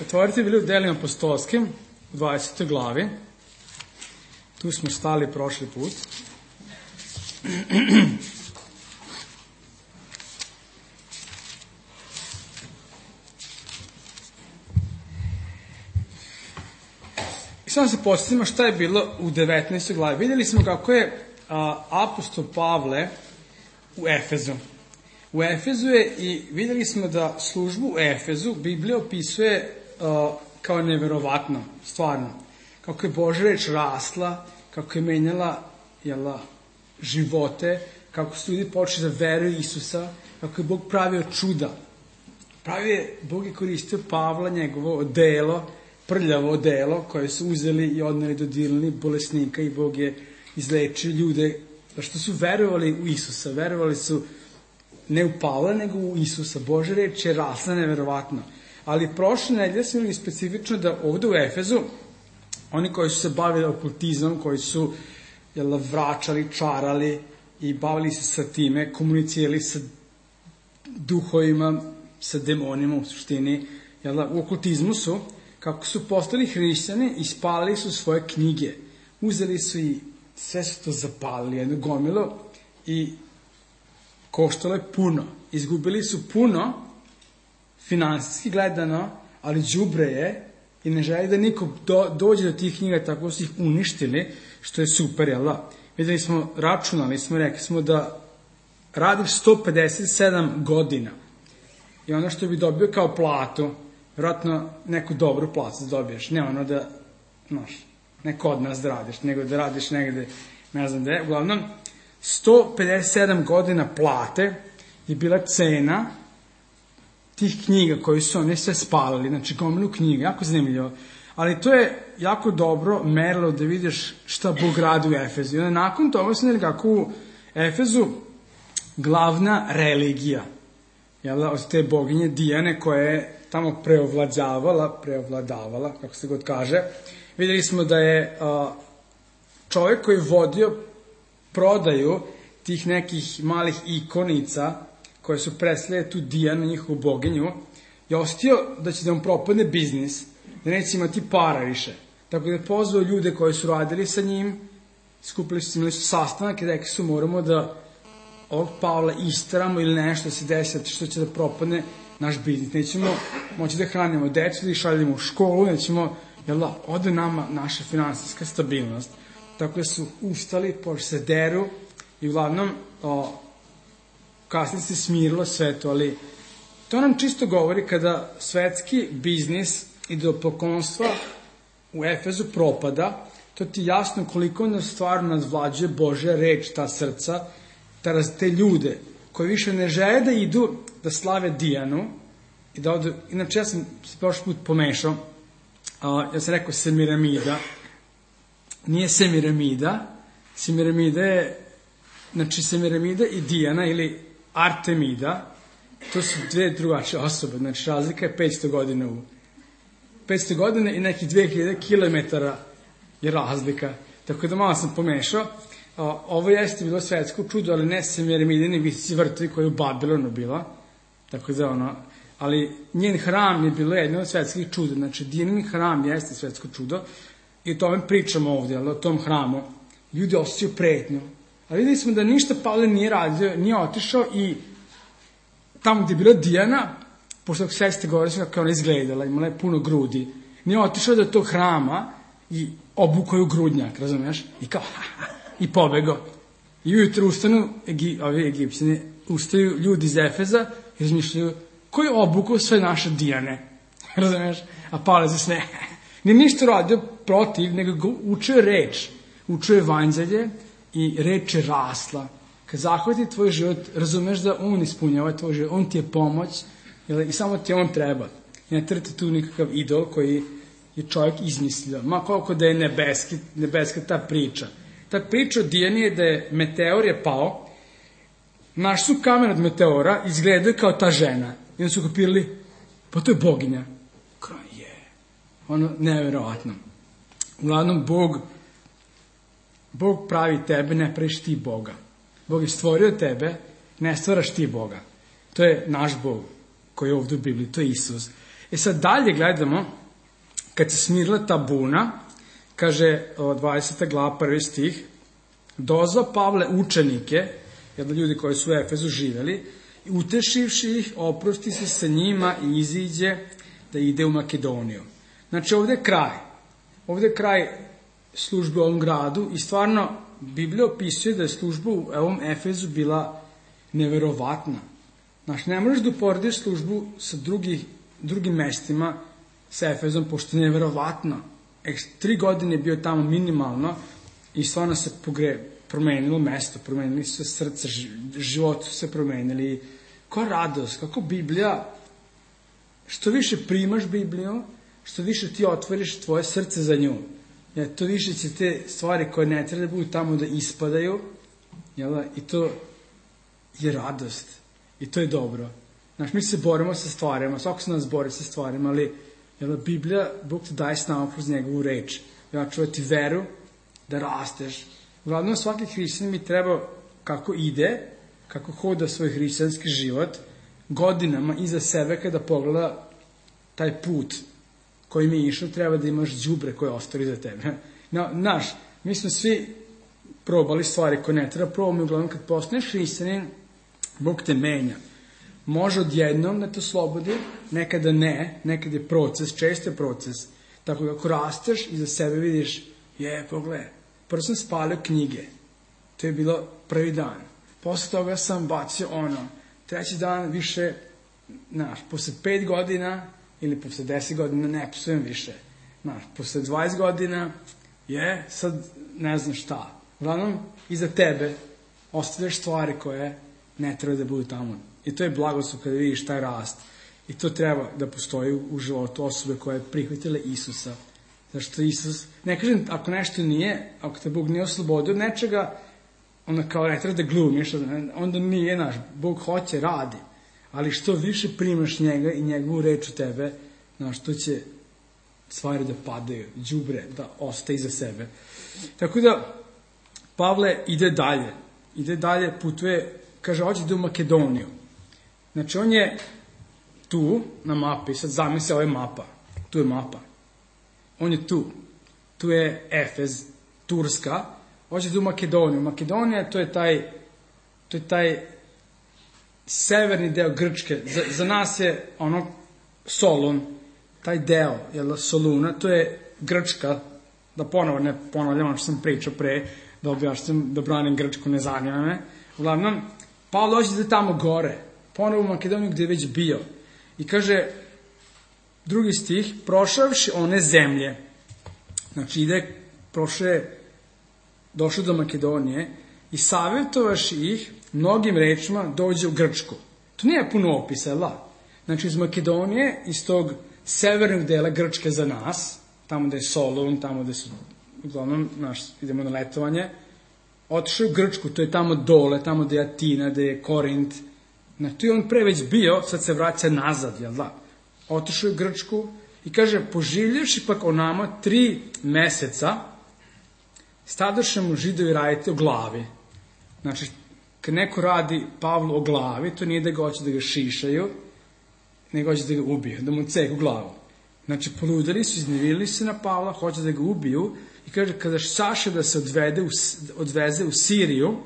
Otvorite bili u Delima apostolskim, u 20. glavi. Tu smo stali prošli put. I samo se podsjetimo šta je bilo u 19. glavi. Vidjeli smo kako je apostol Pavle u Efezu. U Efezu je i vidjeli smo da službu u Efezu Biblija opisuje kao neverovatno, stvarno. Kako je Božja reč rasla, kako je menjala živote, kako su ljudi počeli da veruju Isusa, kako je Bog pravio čuda. Bog je koristio Pavla, njegovo odelo, prljavo odelo, koje su uzeli i odneli, dodirnuli bolesnika i Bog je izlečio ljude, što su verovali u Isusa, verovali su ne u Pavla, nego u Isusa. Božja reč je rasla neverovatno. Ali prošle nedelje smo imali specifično da ovdje u Efezu, oni koji su se bavili okultizmom, koji su vraćali, čarali i bavili se sa time, komunicirali sa duhovima, sa demonima u suštini, u okultizmu su, kako su postali hrišćani, ispalili su svoje knjige. Uzeli su i sve su to zapalili, jedno gomilo, i koštalo je puno. Izgubili su puno, finansijski gledano, ali đubre je i ne želi da niko dođe do tih knjiga, tako su ih uništili, što je super, jel da? Vidjeli smo, računali smo, rekli smo da radiš 157 godina i ono što bi dobio kao platu, vjerojatno neku dobru platu da dobiješ, ne ono da, ne kod nas da radiš, nego da radiš negde, ne znam gde, uglavnom, 157 godina plate je bila cena tih knjiga koji su oni sve spalili, znači gomilu knjiga, jako zanimljivo. Ali to je jako dobro merilo da vidiš šta Bog radi u Efezu. I onda nakon toga sam vidjeli kako u Efezu glavna religija, od te boginje Dijane koja je tamo preovladavala, kako se god kaže, vidjeli smo da je čovjek koji je vodio prodaju tih nekih malih ikonica koje su predstavljale tu Dijanu, njihovu boginju, je ostio da će da mu propadne biznis, da neće imati para više. Tako da je pozvao ljude koji su radili sa njim, skupili su, imali su sastanak i rekli su moramo da ovog Pavla isteramo ili nešto se desi što će da propadne naš biznis. Nećemo moći da hranimo decu, da ih šaljemo u školu, nećemo, ode nama naša finansijska stabilnost. Tako da su ustali, počeli se deru i uglavnom kasnije se smirilo sve to, ali to nam čisto govori kada svetski biznis i do poklonstva u Efezu propada, to ti jasno koliko nas stvarno nadvlađuje Božja reč, ta srca, te ljude koji više ne žele da idu da slave Dijanu i da odu, inače ja sam se prošli put pomešao, ja sam rekao Semiramida, nije Semiramida, Semiramida je, znači Semiramida i Dijana ili Artemida, to su dve drugačije osobe, znači razlika je 500 godina i nekih 2000 km je razlika, tako da malo sam pomešao. Ovo jeste bilo svetsko čudo, ali ne Semiramidini visici vrtovi koji je u Babilonu bila, tako da ali njen hram je bilo jedno od svetskih čuda, znači Dijanin hram jeste svetsko čudo i o tome pričamo ovdje, o tom hramu. Ljudi osjećaju pretnju. Ali vidjeli smo da ništa Pavle nije radio, nije otišao i tamo gdje je bila Dijana, pošto sve ste govorili kako je ona izgledala, imala je puno grudi, nije otišao do tog hrama i obukao je u grudnjak, razumiješ? I kao, i pobegao. I ujutro ustanu, ovi Egipćani, ustaju ljudi iz Efeza i razmišljaju, ko je obukao sve naše Dijane? Razumiješ? A Pavle za sve, nije ništa radio protiv, nego učio reč, učio evanđelje i reč je rasla. Kad zahvati tvoj život, razumeš da on ispunjava tvoj život, on ti je pomoć i samo ti on treba. I ne trete tu nikakav idol koji je čovjek izmislio. Ma koliko da je nebeska ta priča. Ta priča o Dijani je da je meteor je pao, naš su kamen od meteora, izgledaju kao ta žena. I onda su kapirali, pa to je boginja. Kao je. Nevjerovatno. Uglavnom, Bog pravi tebe, ne praviš ti Boga. Bog je stvorio tebe, ne stvaraš ti Boga. To je naš Bog koji je ovdje u Bibliji, to je Isus. Sad dalje gledamo, kad se smirila ta buna, kaže 20. glava, 1. stih, dozva Pavle učenike, jedno ljudi koji su u Efezu živeli, i utešivši ih, oprosti se sa njima i iziđe da ide u Makedoniju. Znači ovde je kraj službe u ovom gradu i stvarno Biblija opisuje da je služba u ovom Efezu bila neverovatna. Znači, ne možeš da uporediš službu sa drugim mestima sa Efezom, pošto je neverovatno. 3 godine je bio tamo minimalno i stvarno se promenilo mesto, promenili su se srce, život su se promenili. Koja radost, kako Biblija, što više primaš Bibliju, što više ti otvoriš tvoje srce za nju. To više će te stvari koje ne treba da budu tamo da ispadaju, i to je radost. I to je dobro. Znači, mi se borimo sa stvarima, svako se nas bori sa stvarima, ali Biblija, Bog ti daje snagu kroz njegovu reč. Čuvati veru, da rasteš. Uglavnom, svaki hrišćanin mi treba kako ide, kako hoda svoj hrišćanski život, godinama iza sebe kada pogleda taj put koji mi je išao, treba da imaš đubre koje ostali za tebe. Mi smo svi probali stvari koje ne treba probati, uglavnom kad postaneš hrišćanin, Bog te menja. Može odjednom da te oslobodi, nekada ne, nekada je proces, često je proces. Tako da ako rasteš i za sebe vidiš, pogledaj, prvo sam spalio knjige, to je bilo prvi dan. Posle toga sam bacio treći dan više, posle 5 godina ili posle 10 godina ne psujem više. Posle 20 godina sad ne znam šta. Uglavnom, iza tebe ostavljaš stvari koje ne treba da budu tamo. I to je blagoslov kada vidiš taj rast. I to treba da postoji u životu osobe koje je prihvatile Isusa. Zašto Isus, ne kažem, ako nešto nije, ako te Bog nije oslobodio od nečega, onda kao ne treba da glumiš, onda nije naš. Bog hoće, radi. Ali što više primaš njega i njegovu reč u tebe, to će stvari da padaju, đubre, da ostaje iza sebe. Tako da, Pavle ide dalje, putuje, kaže, hoće da u Makedoniju. Znači, on je tu, na mapi, sad zamisli, ovo je mapa, tu je mapa. On je tu je Efez, Turska, hoće da u Makedoniju. Makedonija, to je taj severni deo Grčke. Za nas je Solun, taj deo, Soluna, to je Grčka, da ponovo ne ponavljam što sam pričao pre, da objašnjam, da branim Grčku, ne zanima me. Uglavnom, Pavle hoće da tamo gore, ponovo u Makedoniju gde je već bio. I kaže, 2. stih, prošavši one zemlje, znači došao do Makedonije i savjetovaši ih mnogim rečima dođe u Grčku. To nije puno opisa, Znači, iz Makedonije, iz tog severnog dela Grčke za nas, tamo da je Solun, tamo da su, uglavnom, idemo na letovanje, otišao u Grčku, to je tamo dole, tamo da je Atina, da je Korint. Tu je on pre već bio, sad se vraća nazad, Otišao je u Grčku i kaže, poživljavši pak o nama 3 meseca, stadoše mu Židovi raditi o glavi. Znači, kad neko radi Pavlu o glavi, to nije da ga hoće da ga šišaju, nego hoće da ga ubiju, da mu ceku glavu. Znači, poludali su, iznevili se na Pavla, hoće da ga ubiju i kaže, kada Saša da se odveze u Siriju,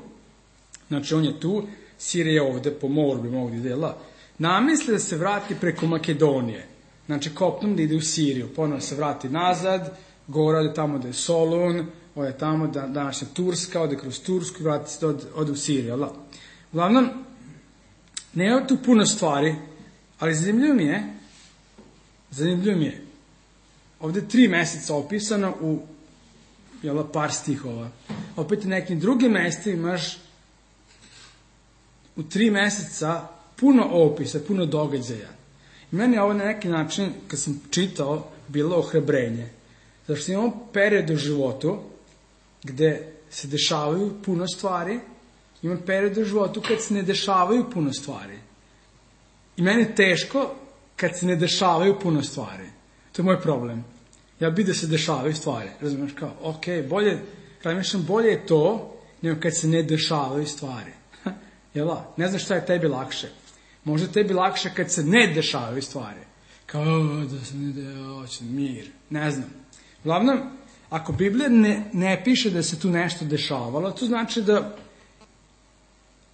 znači on je tu, Sirija je ovde, po moru bi mogli dela, namisli da se vrati preko Makedonije. Znači, kopnom da ide u Siriju, ponovno se vrati nazad, gore ode tamo da je Solun, ode tamo današnja Turska, ode kroz Tursku i vrati se ode u Siriju. Uglavnom, nema tu puno stvari, ali zanimljivo mi je, ovde 3 meseca opisano u par stihova. Opet u nekim drugim mestima imaš u 3 meseca puno opisa, puno događaja. I meni je ovo na neki način, kad sam čitao, bilo ohrabrenje. Zato što imamo period u životu gde se dešavaju puno stvari, imamo period u životu kad se ne dešavaju puno stvari. I meni je teško kad se ne dešavaju puno stvari. To je moj problem. Ja bih da se dešavaju stvari. Razumiješ kao, bolje je to nego kad se ne dešavaju stvari. Ne znam šta je tebi lakše. Možda tebi lakše kad se ne dešavaju stvari. kao da se hoće mir, ne znam. Uglavnom, ako Biblija ne piše da se tu nešto dešavalo, to znači da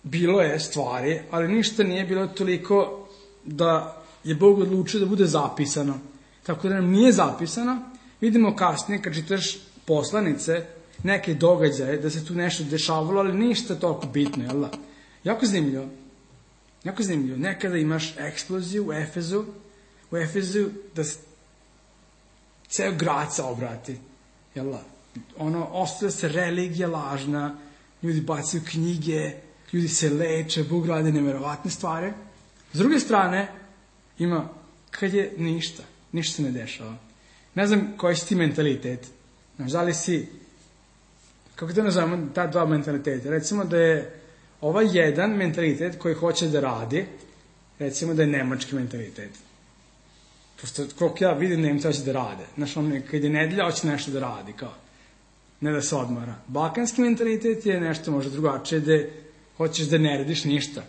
bilo je stvari, ali ništa nije bilo toliko da je Bog odlučio da bude zapisano. Tako da nam nije zapisano, vidimo kasnije kad čitaš poslanice, neke događaje, da se tu nešto dešavalo, ali ništa toliko bitno, jel da? Jako zanimljivo. Jako zanimljivo. Nekada imaš eksploziju u Efezu, da se ceo grad se obrati, jel da? Ostaje se religija lažna, ljudi bacaju knjige, ljudi se leče, Bog radi neverovatne stvari. S druge strane, ima kad je ništa se ne dešava. Ne znam koji si ti mentalitet. Znaš, da li si, kako da nazovemo ta dva mentaliteta? Recimo da je ovaj jedan mentalitet koji hoće da radi, recimo da je nemački mentalitet. Pošto koliko ja vidim, Nemci hoće da rade. Znaš, kad je nedelja, hoće nešto da radi, kao. Ne da se odmara. Balkanski mentalitet je nešto možda drugačije, da hoćeš da ne radiš ništa.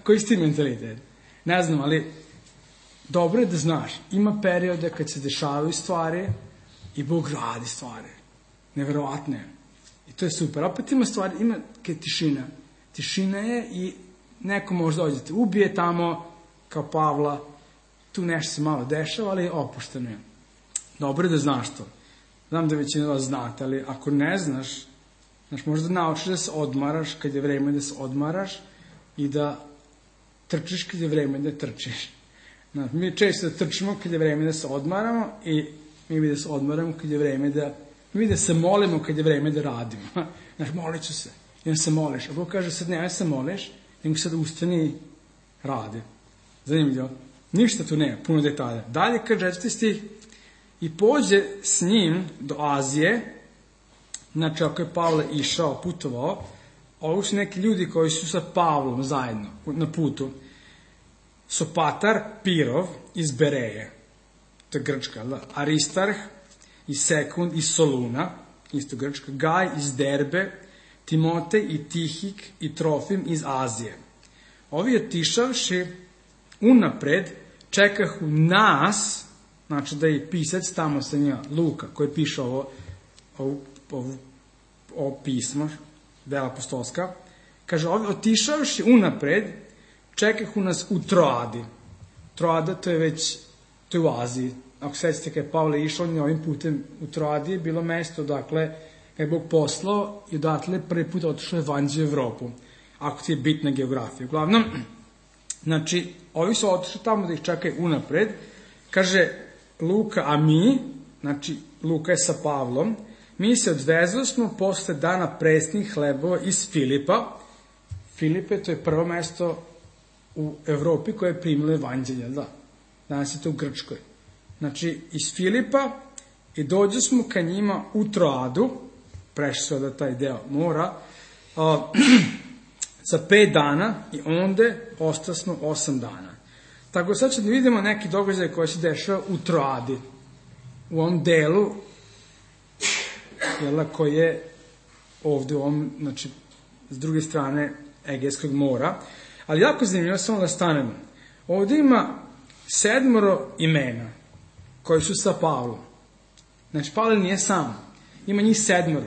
Koji si ti mentalitet? Ne znam, ali dobro je da znaš. Ima periode kad se dešavaju stvari i Bog radi stvari. Neverovatno je. I to je super. Opet ima stvari, ima tišina. Tišina je i neko možda dođete, ubije tamo, kao Pavla, tu nešto se malo dešava, ali opušteno je. Dobro je da znaš to. Znam da većina vas znate, ali ako ne znaš, možda naučiš da se odmaraš kad je vreme da se odmaraš i da trčiš kad je vreme da trčiš. Mi često da trčimo kad je vreme da se odmaramo i mi bi da se odmaramo kad je vreme da... Mi da se molimo kad je vreme da radimo. Molit ću se. I onda se moliš. A Bog kaže, sad ne se moliš, nego sad ustani i radi. Zanimljivo. Ništa tu nema, puno detalja. Dalje kad 4. stih, i pođe s njim do Azije, znači ako je Pavle išao, putovao, ovo su neki ljudi koji su sa Pavlom zajedno na putu. Sopatar Pirov iz Bereje, to je Grčka, da? Aristarh i Sekund iz Soluna, isto Grčka, Gaj iz Derbe, Timotej i Tihik i Trofim iz Azije. Ovi otišavši unapred, čekahu nas, znači da je pisac tamo sa njima, Luka, koji piše ovo pismo, dela apostolska, kaže, ovi otišavši unapred, čekahu nas u Troadi. Troada, to je u Aziji. Ako sećate kada je Pavle išao, on je ovim putem u Troadi je bilo mesto, dakle, kada je Bog poslao i odatle prvi put otišao evanđelje u Evropu. Ako ti je bitna geografija. Uglavnom, znači, ovi su otišli tamo da ih čekaju unapred. Kaže Luka, a mi, znači, Luka je sa Pavlom, mi se odvezli smo posle dana presnih hlebova iz Filipa. Filipe, to je prvo mesto u Evropi koje je primilo evanđelje, da. Danas je to u Grčkoj. Znači, iz Filipa i dođe smo ka njima u Troadu, prešli su da taj deo mora, za 5 dana i onda ostali smo 8 dana. Tako sad ćemo da vidimo neki događaj koji se dešava u Troadi, u ovom delu, koji je ovde u ovom, znači, s druge strane Egejskog mora. Ali jako zanimljivo, samo da stanemo. Ovde ima 7 imena koji su sa Pavlom. Znači, Pavle nije sam. Ima njih 7.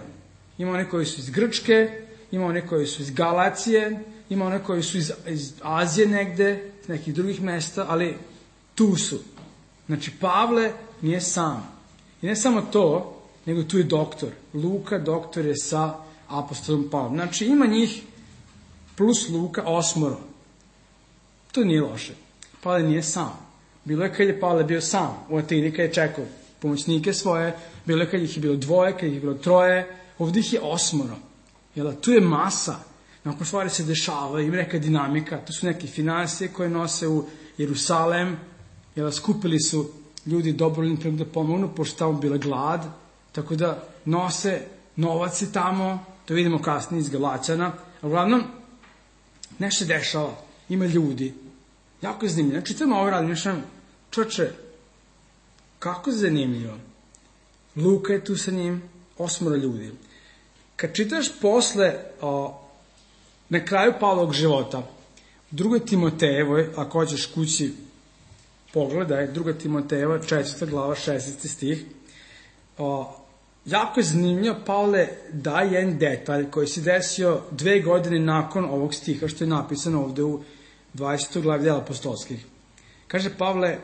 Ima one koji su iz Grčke, ima one koji su iz Galacije, ima one koji su iz Azije negde, iz nekih drugih mesta, ali tu su. Znači, Pavle nije sam. I ne samo to, nego tu je doktor. Luka, doktor je sa apostolom Pavlom. Znači, ima njih plus Luka 8. To nije loše. Pavle nije sam. Bilo je kad je Pavle bio sam u Atini, kad je čekao pomoćnike svoje, bilo je kad ih je bilo 2, kad ih je bilo 3, ovdje ih je 8. Tu je masa. Nakon stvari se dešava, ima neka dinamika, to su neke finansije koje nose u Jerusalem, skupili su ljudi dobrovoljni da pomognu, pošto tamo bila glad, tako da nose novac i tamo, to vidimo kasnije iz Galačana, a uglavnom nešto se dešava, ima ljudi, jako je zanimljivo. Čitamo ovo radim, čoče, kako je zanimljivo. Luka je tu sa njim, 8 ljudi. Kad čitaš posle, na kraju Pavlovog života, u 2. Timotejevoj, ako hoćeš kući pogledaj, 2. Timotejeva, 4. glava, 16. stih. Jako je zanimljivo, Pavle daje jedan detalj koji se desio 2 godine nakon ovog stiha, što je napisano ovde u 20. glavi dela apostolskih. Kaže Pavle,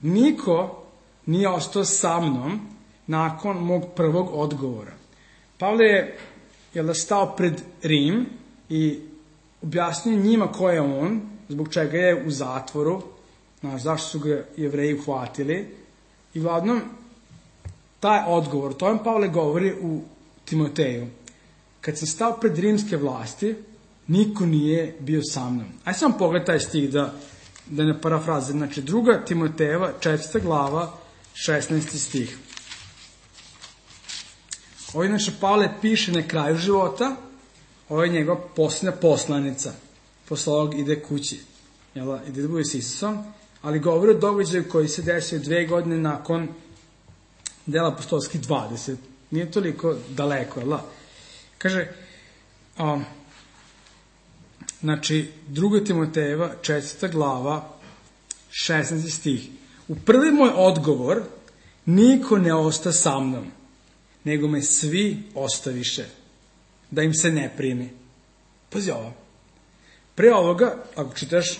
niko nije ostao sa mnom nakon mog prvog odgovora. Pavle je stao pred Rim i objasnio njima ko je on, zbog čega je u zatvoru, zašto su ga Jevreji uhvatili. I uglavnom, taj odgovor, to vam Pavle govori u Timoteju. Kad sam stao pred rimske vlasti, niko nije bio sa mnom. Ajde sam pogled taj stih da ne parafraze. Znači, 2. Timotejeva, 4. glava, 16. stih. Ovo je znači Pavle piše na kraju života, ovo je njegova posljednja poslanica. Posle ovog ide kući, ide da bude s Isusom, ali govori o događaju koji se desio 2 godine nakon dela apostolskih 20. Nije toliko daleko, Kaže, znači, 2. Timotejeva, 4. glava, 16. stih. U prvi moj odgovor, niko ne osta sa mnom, nego me svi ostaviše, da im se ne primi. Pazi ovo. Pre ovoga, ako čitaš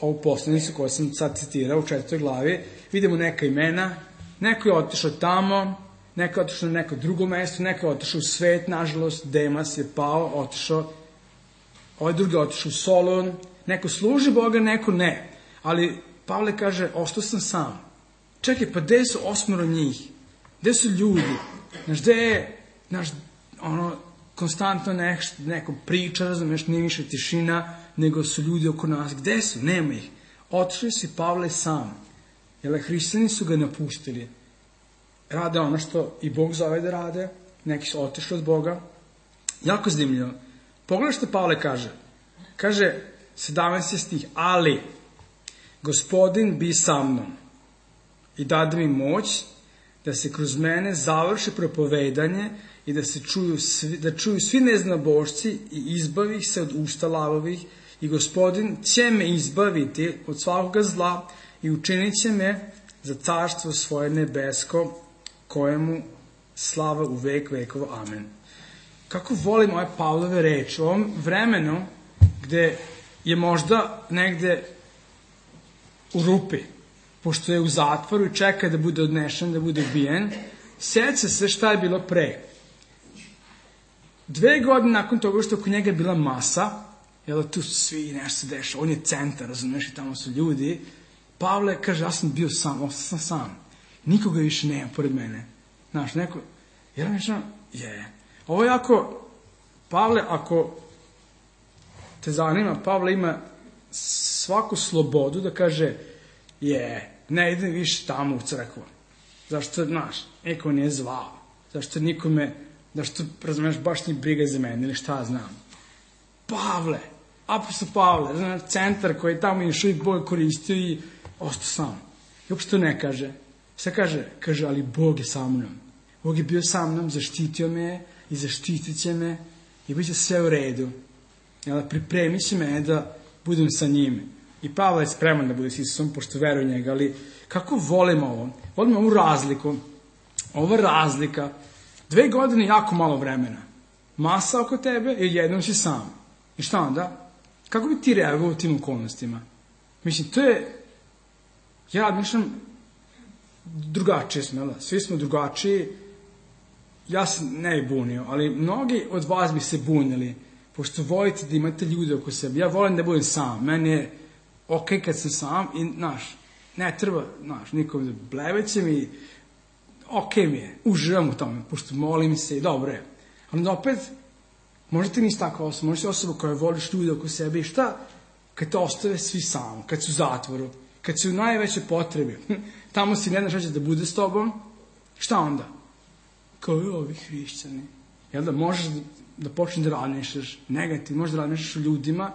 ovu poslanicu koju sam sad citirao u 4. glavi, vidimo neka imena, neko je otišao tamo, neko je otišao na neko drugo mesto, neko je otišao u svet, nažalost, Demas je pao, otišao, ovaj drugi je otišao u Solon, neko služi Boga, neko ne. Ali Pavle kaže, ostao sam sam. Čekaj, pa gde su 8 njih? Gde su ljudi? Gde je, konstantno neko priča, razumeš, nije više tišina, nego su ljudi oko nas. Gde su? Nema ih. Otišli si Pavle sam. Jer hrišćani su ga napustili. Rade ono što i Bog zove da rade. Neki su otišli od Boga. Jako zanimljivo. Pogledaj što Pavle kaže. Kaže, 17. stih, ali Gospodin bi sa mnom i dade mi moć da se kroz mene završi propovedanje i da čuju svi neznabošci i izbavi ih se od usta lavovih i Gospodin će me izbaviti od svakoga zla i učinit će me za carstvo svoje nebesko, kojemu slava u vek vekova. Amen. Kako volim ove Pavlove reči u ovom vremenu gde je možda negde u rupi, pošto je u zatvoru i čeka da bude odnešen, da bude ubijen, sjeća se šta je bilo pre. 2 godine nakon toga što oko njega je bila masa, tu svi nešto se dešava, on je centar, razumiješ, i tamo su ljudi, Pavle kaže, ja sam bio sam, ostao sam sam, nikoga više nema pored mene. Znaš, neko, Ovo je Pavle, ako te zanima, Pavle ima svaku slobodu da kaže, ne idem više tamo u crkvu. Zašto, niko nije zvao. Zašto nikome, zašto, razumiješ, baš nije briga za mene ili šta znam. Pavle, apostol Pavle, centar koji je tamo još uvijek Bog koristio i ostao sam. I uopšte ne kaže. Šta kaže? Kaže, ali Bog je sa mnom. Bog je bio sa mnom, zaštitio me i zaštitit će me i bit će sve u redu. Pripremi će me da budem sa njime. I Pavle je spreman da bude s Isusom, pošto veruje njega, ali kako volim ovo? Volim ovu razliku. Ova razlika, 2 godine jako malo vremena. Masa oko tebe i jednom si sam. I šta onda? Kako bi ti reagovao u tim okolnostima? Mislim, to je, ja mišljam, drugačije smo, svi smo drugačiji. Ja se ne bi bunio, ali mnogi od vas bi se bunili, pošto volite da imate ljude oko sebe. Ja volim da budem sam, meni je okej kad sam sam i, ne treba, nikom da blevećem i okej mi je, uživam u tome, pošto molim se i dobro je. Ali da opet, možda ti nisi takva osoba, možda si osoba koja voliš ljude oko sebe i šta? Kad te ostave svi sam, kad su u zatvoru, kad si u najvećoj potrebi, tamo si ne znaš šta će da bude s tobom, šta onda? Kao i ovi hrišćani. Možeš da počneš da razmišljaš negativno, možeš da razmišljaš o ljudima,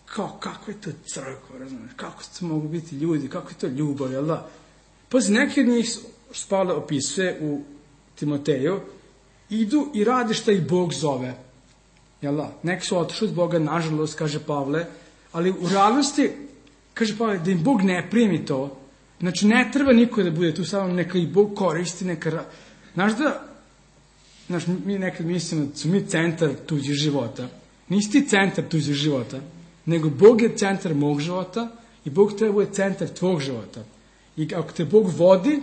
kao kako je to crkva, razumiješ, kako to mogu biti ljudi, kako je to ljubav, Pazi, neki od njih, što Pavle opisuje u Timoteju, idu i rade šta ih Bog zove. Neki su otišli od Boga, nažalost, kaže Pavle, ali u realnosti, kaže Pavle, da im Bog ne primi to, znači ne treba niko da bude tu, samo neka i Bog koristi, znaš, mi nekad mislimo da su mi centar tuđih života. Nisi ti centar tuđih života, nego Bog je centar mog života i Bog treba bude centar tvog života. I ako te Bog vodi,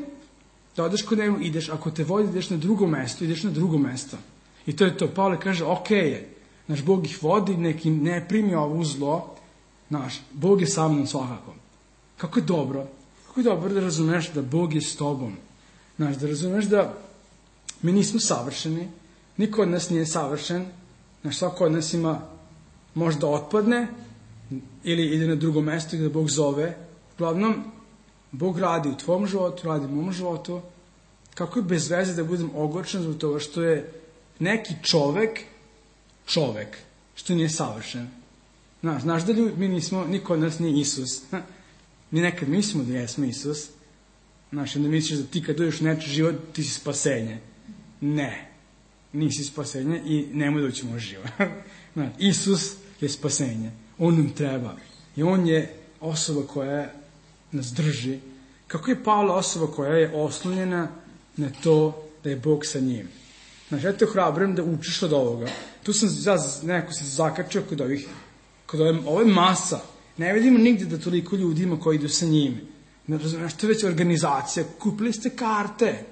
da odeš kod njega, ideš, ako te vodi, ideš na drugo mesto, ideš na drugo mesto. I to je to. Pavle kaže, okej je. Znaš, Bog ih vodi, neki ne primi ovo zlo. Znaš, Bog je sa mnom svakako. Kako je dobro da razumeš da Bog je s tobom. Znaš, da razumeš da mi nismo savršeni, niko od nas nije savršen, znaš, svako od nas ima, možda otpadne, ili ide na drugo mesto gde Bog zove. Uglavnom, Bog radi u tvom životu, radi u mom životu. Kako je bez veze da budem ogorčen zbog toga što je neki čovek, što nije savršen. Znaš da mi nismo, niko od nas nije Isus. Mi nekad mislimo da jesmo Isus. Znaš, onda misliš da ti kad dođeš u nečiji život, ti si spasenje. Ne, nisi spasenje i nemoj da ući u moj život. Znaš, Isus je spasenje. On nam treba. I on je osoba koja nas drži. Kako je Pavle osoba koja je oslonjena na to da je Bog sa njim. Znaš, ja te ohrabrujem da učiš od ovoga. Tu sam nekako se zakačio kod ove masa. Ne vidimo nigdje da toliko ljudi ima koji idu sa njim. Znaš, to je već organizacija. Kupili ste karte.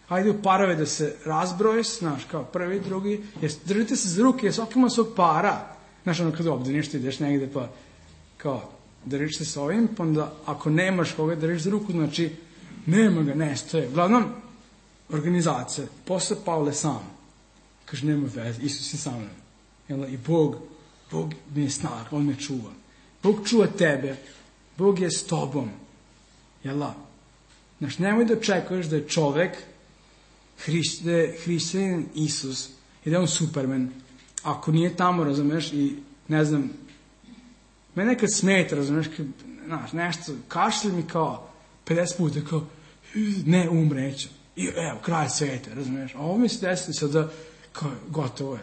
Hajde u parove da se razbroje, znaš, kao prvi, drugi. Držite se za ruke, jer svaki ima svog para. Znaš, ono kad ovdje nešto ideš negde, pa kao, držiš se s ovim, pa onda ako nemaš koga držiš za ruku, znači, nema ga, nestaje. Uglavnom, organizacija, posle Pavle sam. Kaže, nema veze, Isus je sa mnom. I Bog mi je snag, on me čuva. Bog čuva tebe, Bog je s tobom. Znaš, nemoj da očekuješ da je čovek, da je hrišćanin Isus i da je on Superman. Ako nije tamo, razumeš, i ne znam, me nekad smeta, razumeš, znaš, nešto, kašlje mi kao 50 puta, kao, ne, umreću. I evo, kraj sveta, razumeš. A ovo mi se desilo sada, kao, gotovo je.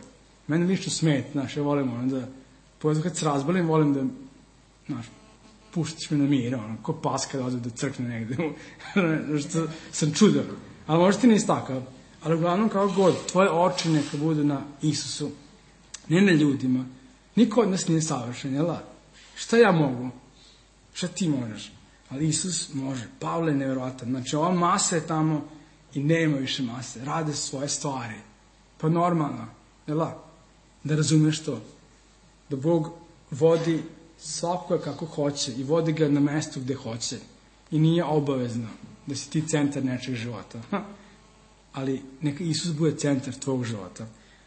Mene lično smeta, znaš, ja volim ono da, pogotovo kad se razbalim, volim da, znaš, puštiš me na mir, ono, ko pas kada ode da crkne negde, što sam čudan. Ali možda ti nisi takav. Ali uglavnom, kako god, tvoje oči neka budu na Isusu, ne na ljudima. Niko od nas nije savršen, jel? Šta ja mogu? Šta ti možeš? Ali Isus može. Pavle je nevjerovatan. Znači, ova masa je tamo i nema više mase. Rade svoje stvari. Pa normalno, jel? Da razumeš to. Da Bog vodi svakoga kako hoće i vodi ga na mesto gde hoće. I nije obavezno da si ti centar nečeg života. Ali neka Isus bude centar tvog života.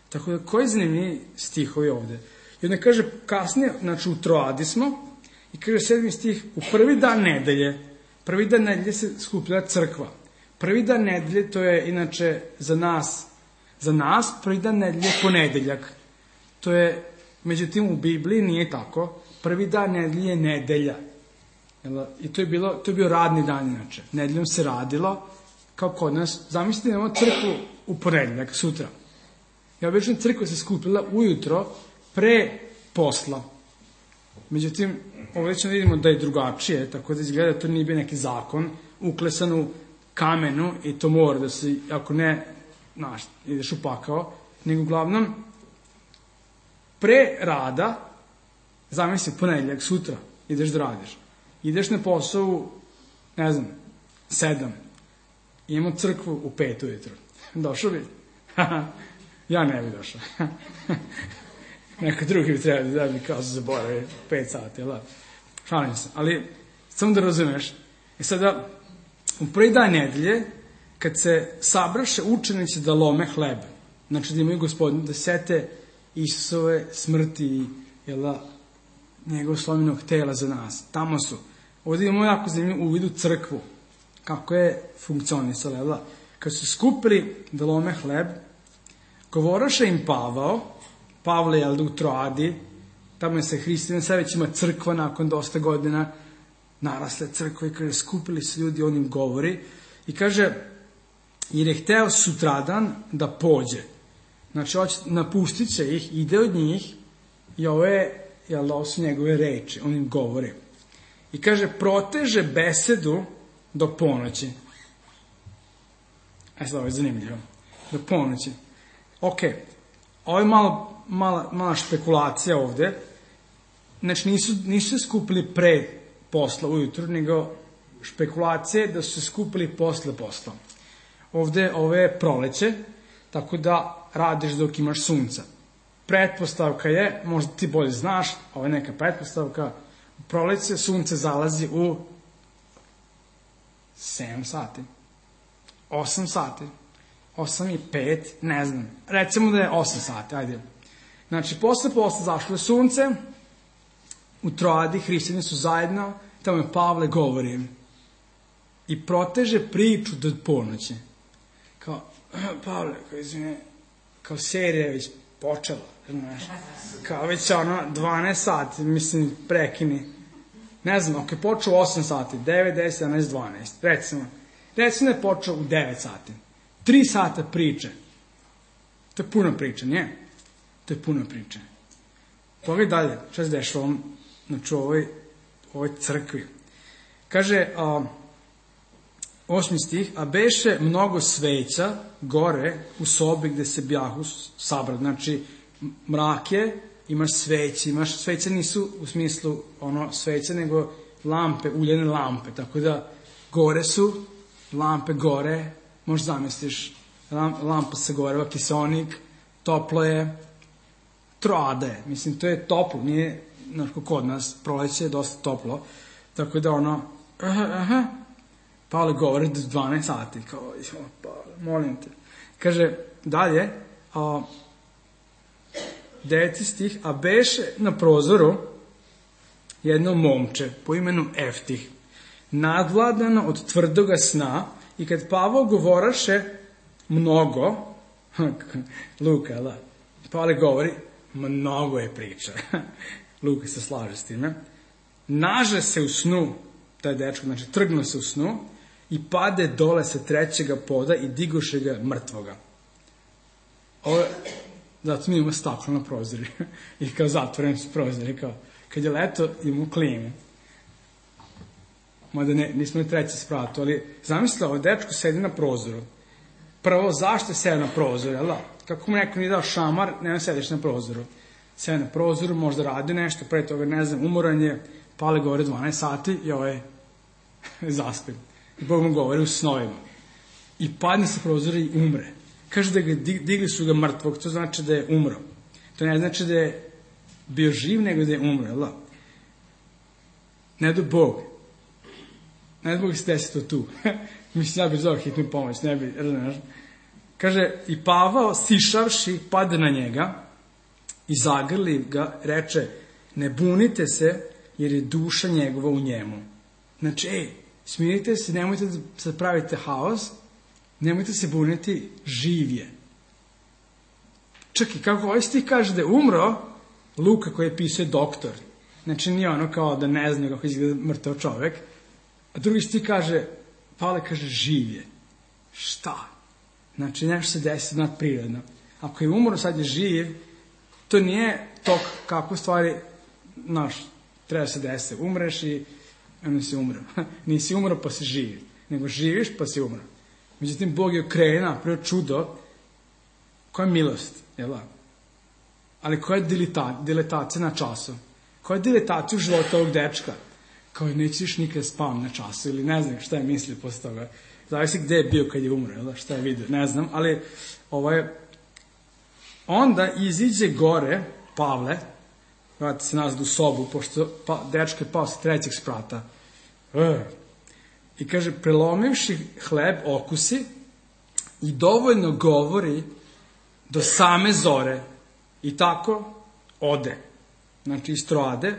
Tako da, koji zanimljivi stihovi ovde? I onda kaže kasnije, znači u Troadi smo, i kaže 7. stih, u prvi dan nedelje se skupila crkva. Prvi dan nedelje, to je inače za nas prvi dan nedelje je ponedeljak. To je, međutim u Bibliji nije tako. Prvi dan nedelje je nedelja. I to je bio radni dan inače. Nedeljom se radilo, kao kod nas. Zamislite, imamo crkvu u ponedeljak, sutra. I obično crkva se skupila ujutro pre posla. Međutim, ovdje ćemo vidimo da je drugačije, tako da izgleda da to nije bio neki zakon, uklesan u kamenu i to mora da se, ako ne, znaš, ideš u pakao, nego uglavnom, pre rada, zamisli ponedeljak, sutra, ideš da radiš. Ideš na posao, ne znam, 7. Imamo crkvu u 5 ujutro. Došao bi? Ja ne bi došao. Neko drugi bi trebali da bi kao se zaboravi 5 sati, jel? Šalim se. Ali, samo da razumeš. I sada, u prvi dan nedelje, kad se sabraše učenici da lome hleb, znači da imaju Gospodin, da sete Isusove smrti, jel, njegov slomljenog tela za nas. Tamo su. Ovdje imamo jako zanimljiv uvid u crkvu. Kako je funkcionisala, jel? Kad su skupili da lome hleb, govoraše im Pavle, jel, u Troadi, tamo je se hrišćanin, sad već ima crkva nakon dosta godina, narasle crkve, i kaže, skupili su ljudi, on im govori, i kaže, jer je hteo sutradan da pođe. Znači, napustit će ih, ide od njih, i ovo su njegove reči, on im govori. I kaže, proteže besedu do ponoći. Sad, ovo je zanimljivo. Do ponoći. Ok, ovo je mala špekulacija ovde. Znači, nisu se skupili pre posla ujutru, nego špekulacije da su se skupili posle posla. Ovde je proleće, tako da radiš dok imaš sunca. Pretpostavka je, možda ti bolje znaš, ovo je neka pretpostavka, u proleće sunce zalazi u 7 sati, 8 sati, 8 i 5, ne znam. Recimo da je 8 sati, ajde. Znači, posle zašlo je sunce, u Troadi hrišćani su zajedno, tamo je Pavle govori i proteže priču do ponoći. Kao, Pavle, kao serija je već počela, znaš, kao već 12 sati, mislim, prekini. Ne znam, ako je počeo 8 sati, 9, 10, 11, 12, recimo da je počeo u 9 sati. 3 sata priče. To je puno priče, nije? To je puno priče. Pogledaj dalje, šta se dešava znači, u ovoj crkvi. Kaže, 8. stih, a beše mnogo sveća gore u sobi gde se bjahu sabrati. Znači, mrak je, imaš sveće nisu u smislu sveće, nego lampe, uljene lampe, tako da gore su, lampe gore, možeš zamisliš, lampa se gore, kiseonik, toplo je, Troada je, mislim, to je toplo, nije, znaš, kod nas, proleće je dosta toplo, tako da Pavle govori do 12 sati, kao, Pavle, molim te. Kaže, dalje, 9. stih, a beše na prozoru jedno momče po imenu Eftih, nadvladano od tvrdoga sna, i kad Pavao govoraše mnogo, Luka, da, Pavle govori, mnogo je priča, Luka se slaže s time, naže se u snu, taj dečko, znači trgnuo se u snu, i pade dole sa 3. poda i digoše ga mrtvoga. Ovo, zato mi imamo staklo na prozori i kao zatvoreni su prozori, kao kad je leto imamo klimu. Mada nismo na 3. spratu, ali zamislite, ovo dečko sedi na prozoru. Prvo, zašto sedi na prozoru, jel da? Kako mu neko nije dao šamar, nema sediš na prozoru. Sedi na prozoru, možda radi nešto, pre toga, ne znam, umoran je, Pavle govori 12 sati i ovo je zaspim. I Bog mu govori u snovima. I padne sa prozora i umre. Kaže da ga digli su ga mrtvog, to znači da je umro. To ne znači da je bio živ, nego da je umro, jel da? Ne do Bog. Ne do Bog se desi to tu. Mislim, ja bih zvao hitnu pomoć, ne bi, kaže, i Pavao, sišavši, pade na njega i zagrli ga, reče, ne bunite se, jer je duša njegova u njemu. Znači, smirite se, nemojte da sad pravite haos, nemojte se buniti, živ je. Čak i kako ovaj stih kaže da je umro, Luka koji je pisao je doktor. Znači, nije ono kao da ne zna kako izgleda mrtav čovek. A drugi stih kaže, Pavle kaže, živ je. Šta? Znači, nešto se desi nadprirodno. Ako je umro, sad je živ, to nije to kako stvari, treba se desi. Umreš i onda si umro. Nisi umro pa si živ, nego živiš pa si umro. Međutim, Bog je okrenuo, napravio čudo, koja je milost, jel da? Ali koja je diletacija na času? Koja je diletacija u životu ovog dečka? Kao nećeš nikad spavam na času, ili ne znam šta je mislio posle toga. Zavisi gde je bio kad je umro, jel da? Šta je vidio, ne znam, ali onda iziđe gore Pavle, vrati se nazad u sobu, pošto dečko je pao sa 3. sprata. I kaže, prelomivši hleb okusi i dovoljno govori do same zore. I tako ode. Znači, iz Troade.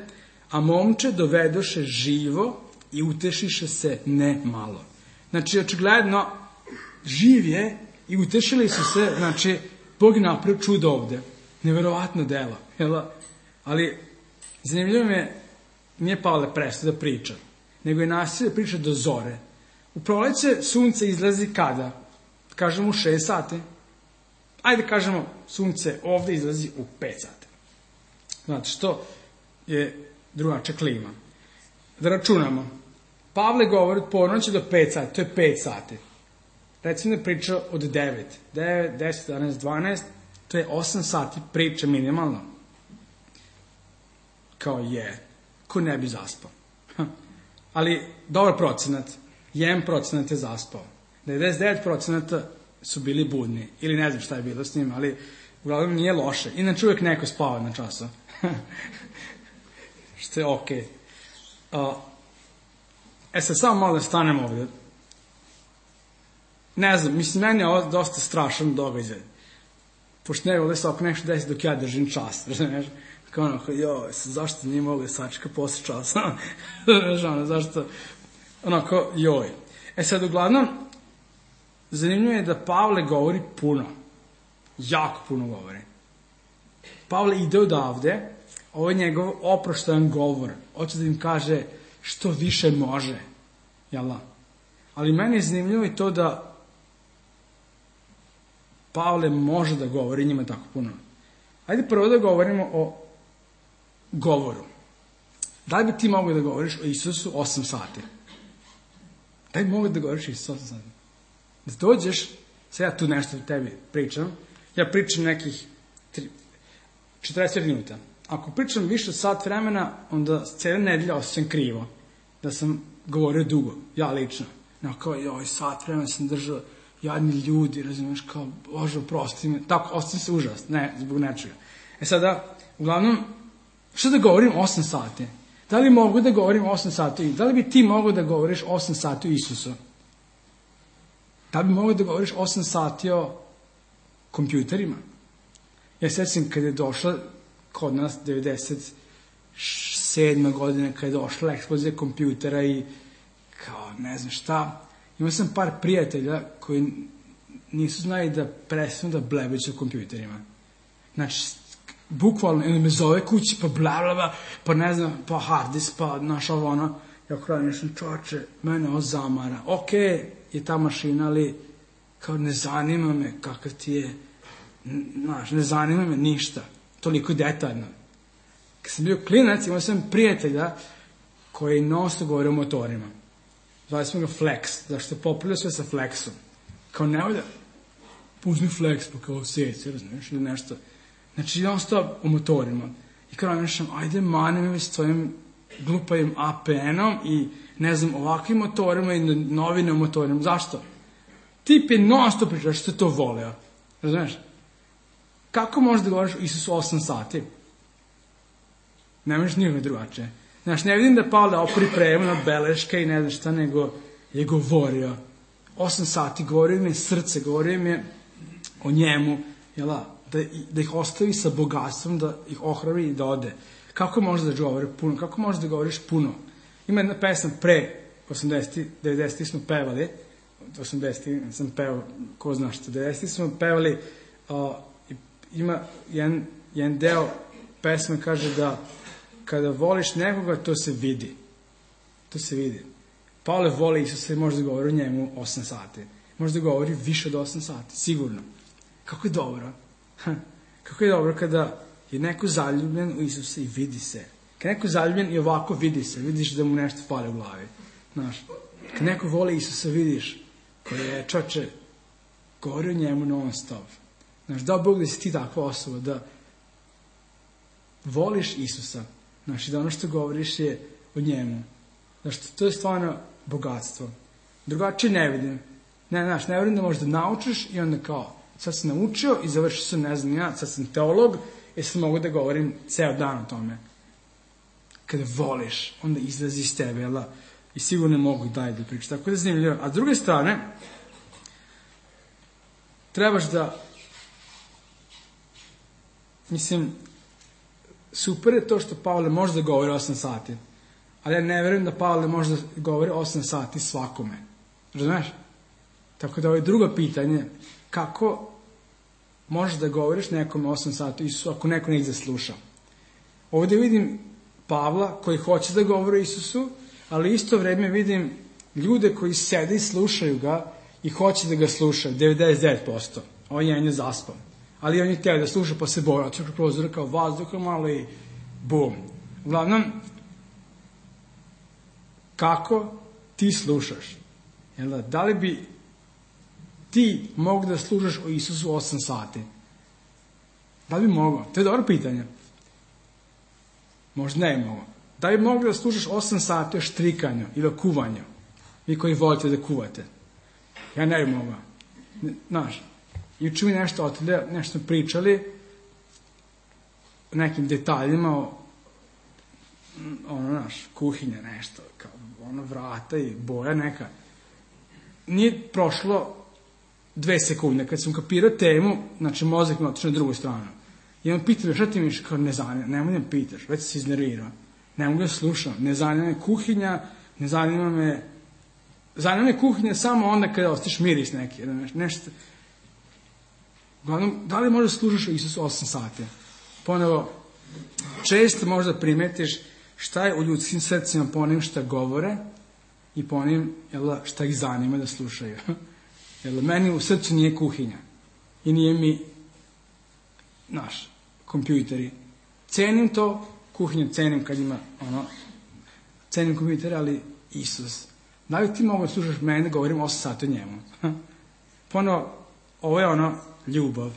A momče dovedoše živo i utešiše se ne malo. Znači, očigledno, živ je i utešili su se, znači, Bog je napravio čudo ovde. Neverovatno delo. Ali, zanimljivo mi je, nije Pavle prestao da priča, nego je nastavio da priča do zore. U proleće sunce izlazi kada? Kažemo u 6 sati. Ajde kažemo, sunce ovde izlazi u 5 sati. Znači, što je drugačija klima. Da računamo. Pavle govori od ponoći do 5 sati, to je 5 sati. Recimo da priča od 9, 10, 11, 12, to je 8 sati priče minimalno. Kao ko ne bi zaspao. Ali dobar procenat, 1% je zaspao. 99% su bili budni, ili ne znam šta je bilo s njim, ali uglavnom nije loše. Inače uvijek neko spava na času. Što je okej. Sad samo malo da stanem ovdje. Ne znam, mislim, meni je ovo dosta strašan događaj. Pošto ne vole se oko nešto desi dok ja držim čas, znaš. Kao ono, zašto nije mogu da sačeka posle časa? Znaš, zašto? Onako, sad, uglavnom, zanimljivo je da Pavle govori puno. Jako puno govori. Pavle ide odavde, ovo je njegov oproštajan govor. Hoće da im kaže što više može. Jel' ali meni je zanimljivo i to da Pavle može da govori njima tako puno. Ajde prvo da govorimo o govoru. Da li bi ti mogao da govoriš o Isusu 8 sati? Da li bi mogao da govoriš o Isusu 8 sati? Da dođeš, sad ja tu nešto o tebi pričam, ja pričam nekih 40 minuta. Ako pričam više od sat vremena, onda cijela nedelja osjećam krivo. Da sam govorio dugo, ja lično. Kao, sat vremena sam držao, jadni ljudi, razumiješ, kao, Bože, oprosti me. Tako, osjećam se užas, ne, zbog nečega. Sada, uglavnom, što da govorim 8 sati? Da li mogu da govorim 8 sati? Da li bi ti mogao da govoriš 8 sati o Isusu? Da li bi mogao da govoriš 8 sati o kompjuterima? Ja sjećam kada je došla kod nas 97. godine, kada je došla eksplozija kompjutera i kao ne znam šta. Imao sam par prijatelja koji nisu znali da prestanu da blebeću o kompjuterima. Znači, bukvalno, jedno me zove kući, pa blablabla, pa ne znam, pa hard disk, pa naša ono. Ja kraj nešto, čoče, mene ovo zamara. Okej, je ta mašina, ali kao ne zanima me kakav ti je, znaš, ne zanima me ništa. Toliko detaljno. Kad sam bio klinac, imao sam prijatelja koji non-stop govori o motorima. Zvali smo ga Flex, zašto je popularno sve sa Flexom. Kao nemoj da uzmi Flex, pa kao seci, razumiješ, ili nešto. Znači, non-stop o motorima. I kao nešto, ajde mani me s tvojim glupavim APN-om i, ne znam, ovakvim motorima i novine o motorima. Zašto? Tip je non-stop pričao što je to voleo. Razumiješ? Kako možeš da govoriš o Isusu 8 sati? Ne možeš nikome drugačije. Znaš, ne vidim da Pavle pripremio beleške i ne znam šta, nego je govorio. 8 sati govorio mi je srce, govorio mi je o njemu, da ih ostavi sa bogatstvom, da ih ohrabri i da ode. Kako možeš da govori puno? Kako možeš da govoriš puno? Ima jedna pesma pre 80. 90. smo pevali, 80. sam pevao, ko zna što, 90. smo pevali, ima jedan deo pesme kaže da kada voliš nekoga, to se vidi. To se vidi. Pavle voli Isusa i može da govori o njemu 8 sati. Može da govori više od 8 sati, sigurno. Kako je dobro. Kako je dobro kada je neko zaljubljen u Isusa i vidi se. Kad neko zaljubljen i ovako vidi se, vidiš da mu nešto fali u glavi. Znaš, kad neko voli Isusa, vidiš koji je čoče, govori o njemu non stop. Znaš, da Bog da si ti takva osoba, da voliš Isusa, znaš, i da ono što govoriš je o njemu. Znaš, to je stvarno bogatstvo. Drugačije ne vidim. Ne vidim da možeš da naučiš i onda kao, sad sam naučio i završio sam, ne znam ja, sad sam teolog i sad mogu da govorim ceo dan o tome. Kada voliš, onda izlazi iz tebe, jel da? I sigurno mogu i dalje da pričam. Tako da je zanimljivo. A s druge strane, trebaš da, mislim, super je to što Pavle može da govori 8 sati, ali ja ne verujem da Pavle može da govori 8 sati svakome. Razumeš? Tako da ovo je drugo pitanje, kako možeš da govoriš nekome 8 sati Isusu ako neko ne ih zasluša. Ovdje vidim Pavla koji hoće da govori o Isusu, ali isto vreme vidim ljude koji sede i slušaju ga i hoće da ga slušaju, 99%. On je zaspao. Ali on je htio da sluša, pa se boja, čekaj prozora kao vazduha malo i bum. Uglavnom, kako ti slušaš. Da li bi ti mogu da slušaš o Isusu 8 sati? Da li bi mogao? To je dobro pitanje. Možda ne bi mogao. Da li bi mogao da slušaš 8 sati o štrikanju ili o kuvanju? Vi koji volite da kuvate. Ja ne bi mogao. Znaš, juče mi nešto otelje, nešto pričali o nekim detaljima o kuhinja nešto, kao vrata i boja neka. Nije prošlo 2 sekunde. Kad sam kapirao temu, znači mozak me otišao na drugu stranu. I on pita me, šta ti misliš? Kao, ne zanima, nemoj da me pitaš, već se iznervirao. Ne mogu da slušam, ne zanima me kuhinja, ne zanima me... Zanima me kuhinja samo onda kada ostiš miris neki, nešto... Uglavnom, da li možda slušaš o Isusu 8 sati? Ponovo, često možda primetiš šta je u ljudskim srcima po onim šta govore i po onim šta ih zanima da slušaju. Meni u srcu nije kuhinja i nije mi kompjuteri. Cenim to, kuhinju cenim kad ima cenim kompjutere, ali Isus. Da li ti mogu da slušaš mene da govorim 8 sati o njemu? Ponovo, ovo je ljubav.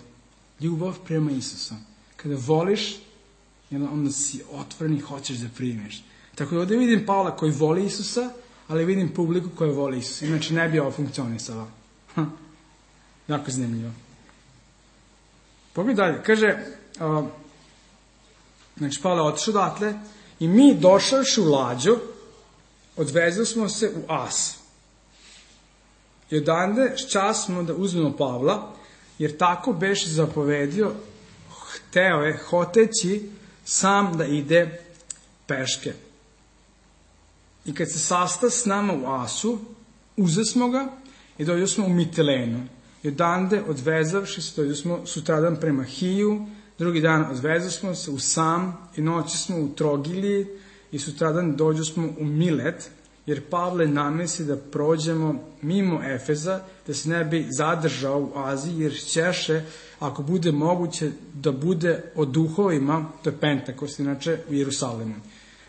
Ljubav prema Isusu. Kada voliš, onda si otvoren i hoćeš da primiš. Tako da ovdje vidim Pavla koji voli Isusa, ali vidim publiku koja voli Isusa. Inače ne bi ovo funkcionisalo. Jako zanimljivo. Pogledaj dalje. Kaže, znači Pavle je otišao odatle i mi došavši u lađu, odvezli smo se u As. I odande čas smo da uzmemo Pavla, jer tako beše zapovedio, hoteći sam da ide peške. I kad se sasta s nama u Asu, uze smo ga i dođu smo u Mitilenu. I odande odvezavši se, dođu smo sutradan prema Hiju, drugi dan odvezali smo se u Sam i noći smo u Trogiliji i sutradan dođu smo u Milet, jer Pavle namesli da prođemo mimo Efeza, da se ne bi zadržao u Aziji, jer ćeše, ako bude moguće, da bude o duhovima, to je Pentakost, inače u Jerusalimu.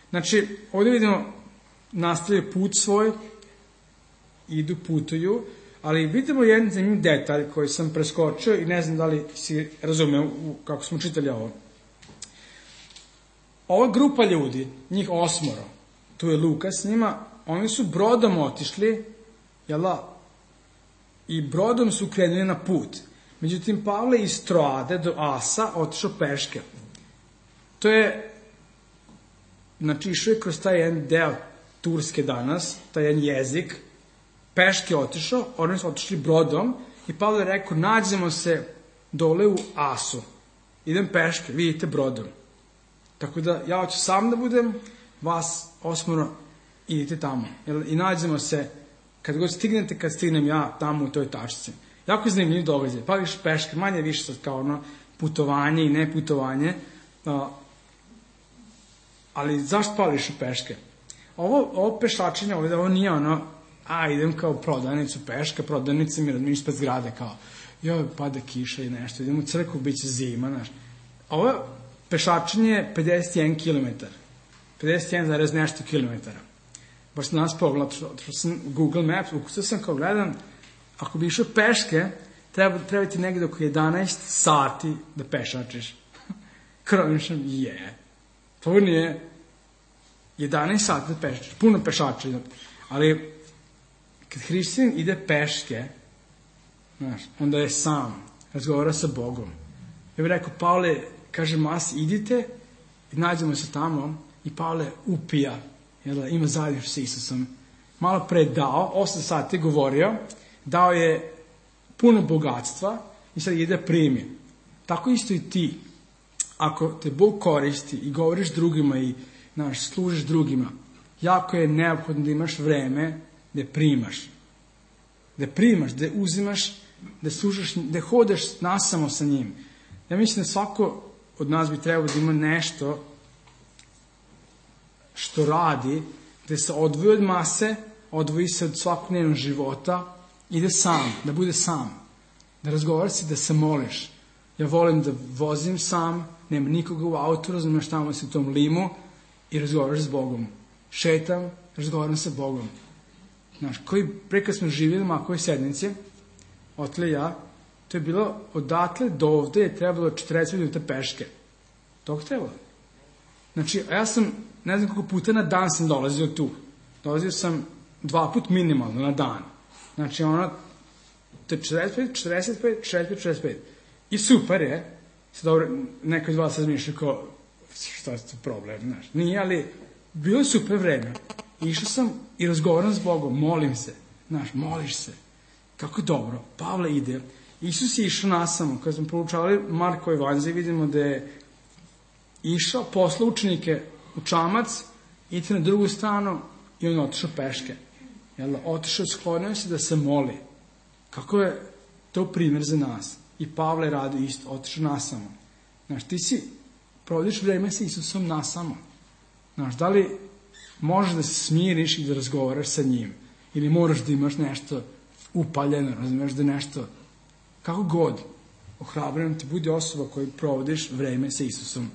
Znači, ovdje vidimo, nastavljaju put svoj, putuju, ali vidimo jedan zanimljiv detalj koji sam preskočio i ne znam da li si razumeo kako smo čitali ovo. Ova grupa ljudi, njih 8, tu je Luka s njima, oni su brodom otišli, i brodom su krenuli na put. Međutim, Pavle iz Troade do Asa otišao peške. To je, znači, išao je kroz taj jedan deo Turske danas, taj jedan jezik, peške otišao, oni su otišli brodom i Pavle je rekao, nađemo se dole u Asu. Idem peške, vidite brodom. Tako da ja hoću sam da budem, vas 8 idite tamo. I nađemo se, kad god stignete, kad stignem ja tamo u toj tačci. Jako zanimljiv događaj. Pališ peške, manje više sad kao putovanje i ne putovanje. Ali zašto pališ peške? Ovo pešačenje ovdje, ovo nije idem kao prodavnicu peške, prodavnica mi razmišlja ispred zgrade kao, pada kiša i nešto, idem u crkvu, bit će zima, znaš. Ovo pešačenje je 51 km. 51, nešto kilometara. Baš sam nas pogledao, otišao sam u Google Maps, ukucao sam kao gledam, ako bi išao peške, treba ti negdje oko 11 sati da pešačiš. Krovišam, to nije 11 sati da pešačiš, puno pešača. Ali, kad hrišćanin ide peške, znaš, onda je sam, razgovara sa Bogom. Ja bih rekao, Pavle, kaže Mas, idite i nađemo se tamo i Pavle upija, ima zajedništvo sa Isusom. Malo pre dao, 8 sati govorio, dao je puno bogatstva i sad ide primi. Tako isto i ti. Ako te Bog koristi i govoriš drugima i služiš drugima, jako je neophodno da imaš vreme da primaš. Da primaš, da uzimaš, da slušaš, da hodaš nasamo sa njim. Ja mislim da svako od nas bi trebao da ima nešto što radi, da se odvoji od mase, odvoji se od svakodnevnog života, ide sam, da bude sam, da razgovara se, da se moliš. Ja volim da vozim sam, nema nikoga u autu, razumiješ, tamo si u tom limu i razgovaraš s Bogom. Šetam razgovaram sa Bogom. Znaš, pre kad smo živjeli makove sednice, otle ja, to je bilo odatle do ovde je trebalo 40 minuta peške. Tog trebalo. Znači, ja sam, ne znam koliko puta na dan sam dolazio tu. Dolazio sam 2 put minimalno na dan. Znači, to je 45. I super je. Sad dobro, neko iz vas razmišlja kao, šta je to problem, znaš. Nije, ali bilo je super vreme. Išao sam i razgovaram s Bogom, molim se. Znaš, moliš se. Kako dobro. Pavle ide. Isus je išao nasamo. Kada smo proučavali Markove evanđelje, vidimo da je išao, poslao učenike u čamac, ide na drugu stranu i on otišao peške. Otišao, sklonio se da se moli. Kako je to primjer za nas? I Pavle radi isto, otišao nasamo. Znaš, ti provodiš vreme sa Isusom nasamo. Znaš, da li možeš da se smiriš i da razgovaraš sa njim? Ili moraš da imaš nešto upaljeno, razumiješ, da nešto, kako god, ohrabrujem ti, budi osoba koju provodiš vreme sa Isusom.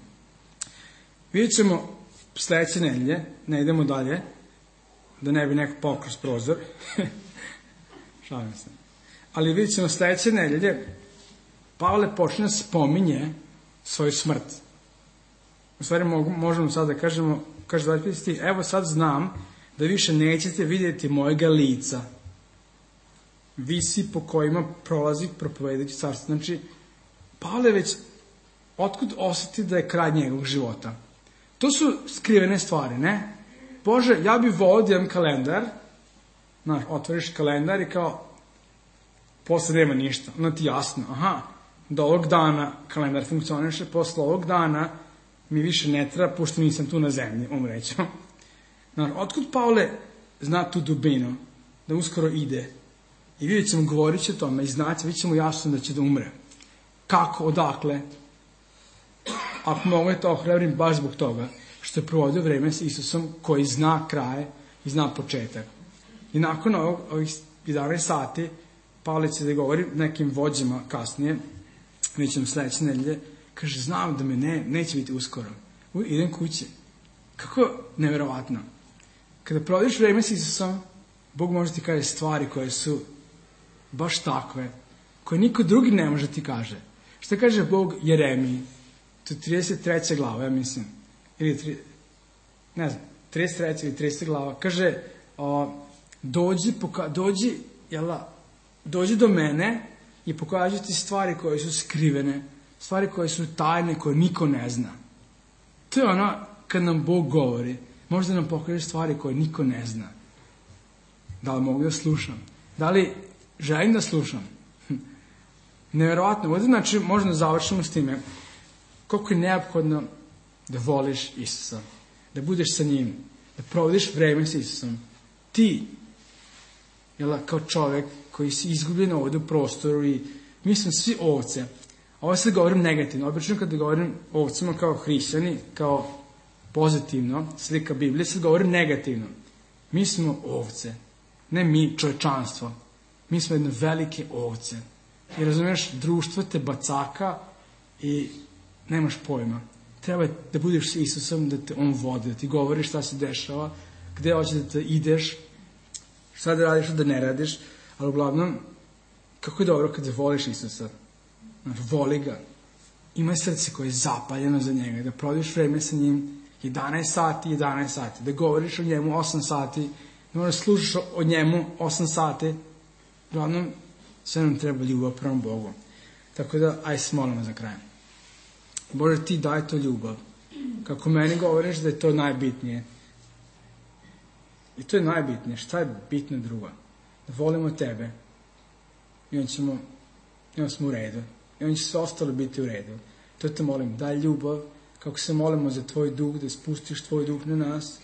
Vidjet ćemo sledeće nedelje, ne idemo dalje, da ne bi neko pao kroz prozor. Šalim se. Ali vidjet ćemo sledeće nedelje, Pavle počne da spominje svoju smrt. U stvari možemo sad da kažemo, kaže 25 stih, evo sad znam da više nećete vidjeti mojega lica, visi po kojima prolazi propovedajući carstvo. Znači, Pavle već otkud osjeti da je kraj njegovog života. To su skrivene stvari, ne? Bože, ja bih volio da imam kalendar, znaš, otvoriš kalendar i kao, posle nema ništa, ono ti jasno, aha, do ovog dana kalendar funkcioniše, posle ovog dana mi više ne treba, pošto nisam tu na zemlji, umreću. Znaš, otkud Pavle zna tu dubinu, da uskoro ide, i vidjet ćemo, govorit će o tome, i znati, vidjet ćemo jasno da će da umre. Kako, odakle? Ako mogu je to ohrabrim baš zbog toga, što je provodio vreme sa Isusom koji zna kraj i zna početak. I nakon ovih 11 sati, Pavle će da govori nekim vođama kasnije, mi ćemo sledeće nedelje, kaže, znam da me neće biti uskoro. Idem kući. Kako neverovatno. Kada provodiš vreme sa Isusom, Bog može ti kaže stvari koje su baš takve, koje niko drugi ne može ti kaže. Šta kaže Bog Jeremiji? To je 33. glava, ja mislim. Ili, ne znam, 33. ili 30. glava. Kaže, dođi do mene i pokažu ti stvari koje su skrivene, stvari koje su tajne, koje niko ne zna. To je ono kad nam Bog govori. Možda nam pokaže stvari koje niko ne zna. Da li mogu da slušam? Da li želim da slušam? Neverovatno. Ovdje znači možemo da završimo s time koliko je neophodno da voliš Isusa, da budeš sa njim, da provodiš vreme sa Isusom. Ti, kao čovjek koji si izgubljen ovdje u prostoru i mi smo svi ovce. Ovo sad govorim negativno. Obično kada govorim o ovcima kao hrišćani, kao pozitivno, slika Biblije, sad govorim negativno. Mi smo ovce. Ne mi, čovječanstvo. Mi smo jedne velike ovce. I razumiješ, društvo te bacaka i nemaš pojma. Treba da budeš s Isusom, da te on vodi, da ti govori šta se dešava, gde hoće da te ideš, šta da radiš, šta da ne radiš, ali uglavnom, kako je dobro kada voliš Isusa. Voli ga. Imaj srce koje je zapaljeno za njega, da provodiš vreme sa njim 11 sati, da govoriš o njemu 8 sati, da moraš slušaš o njemu 8 sati. Uglavnom, sve nam treba ljubav prema Bogu. Tako da, aj se molimo za kraj. Bože, ti daj to ljubav. Kako meni govoriš da je to najbitnije. I to je najbitnije. Šta je bitno drugo? Da volimo tebe. I onda smo u redu. I onda će sve ostalo biti u redu. To te molim, daj ljubav. Kako se molimo za tvoj duh, da spustiš tvoj duh na nas.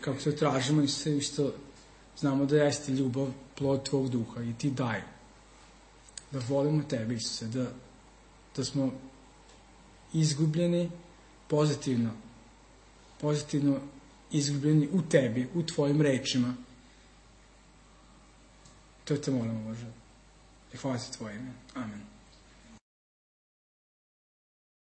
Kako to tražimo i sve isto znamo da jeste ljubav, plod tvog duha. I ti daj. Da volimo tebe, Isuse. Da smo izgubljeni pozitivno izgubljeni u tebi, u tvojim rečima. To te molimo, Bože. I hvala se tvoje ime. Amen.